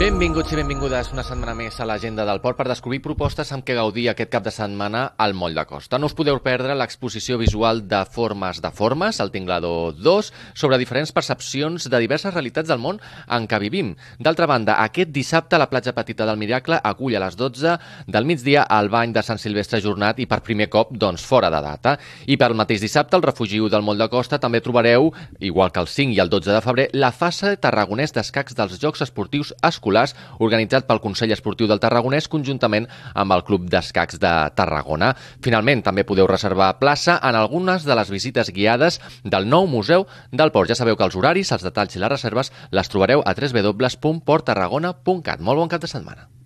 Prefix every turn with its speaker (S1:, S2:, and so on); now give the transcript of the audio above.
S1: Benvinguts i benvingudes una setmana més a l'Agenda del Port per descobrir propostes amb què gaudir aquest cap de setmana al Moll de Costa. No us podeu perdre l'exposició visual de Formes, al Tinglador 2, sobre diferents percepcions de diverses realitats del món en què vivim. D'altra banda, aquest dissabte la platja petita del Miracle acull a les 12 del migdia el bany de Sant Silvestre ajornat i per primer cop fora de data. I per el mateix dissabte, al Refugi del Moll de Costa, també trobareu, igual que el 5 i el 12 de febrer, la fase tarragonès d'escacs dels Jocs Esportius Escolars organitzat pel Consell Esportiu del Tarragonès conjuntament amb el Club d'Escacs de Tarragona. Finalment, també podeu reservar plaça en algunes de les visites guiades del nou Museu del Port. Ja sabeu que els horaris, els detalls i les reserves les trobareu a www.porttarragona.cat. Molt bon cap de setmana.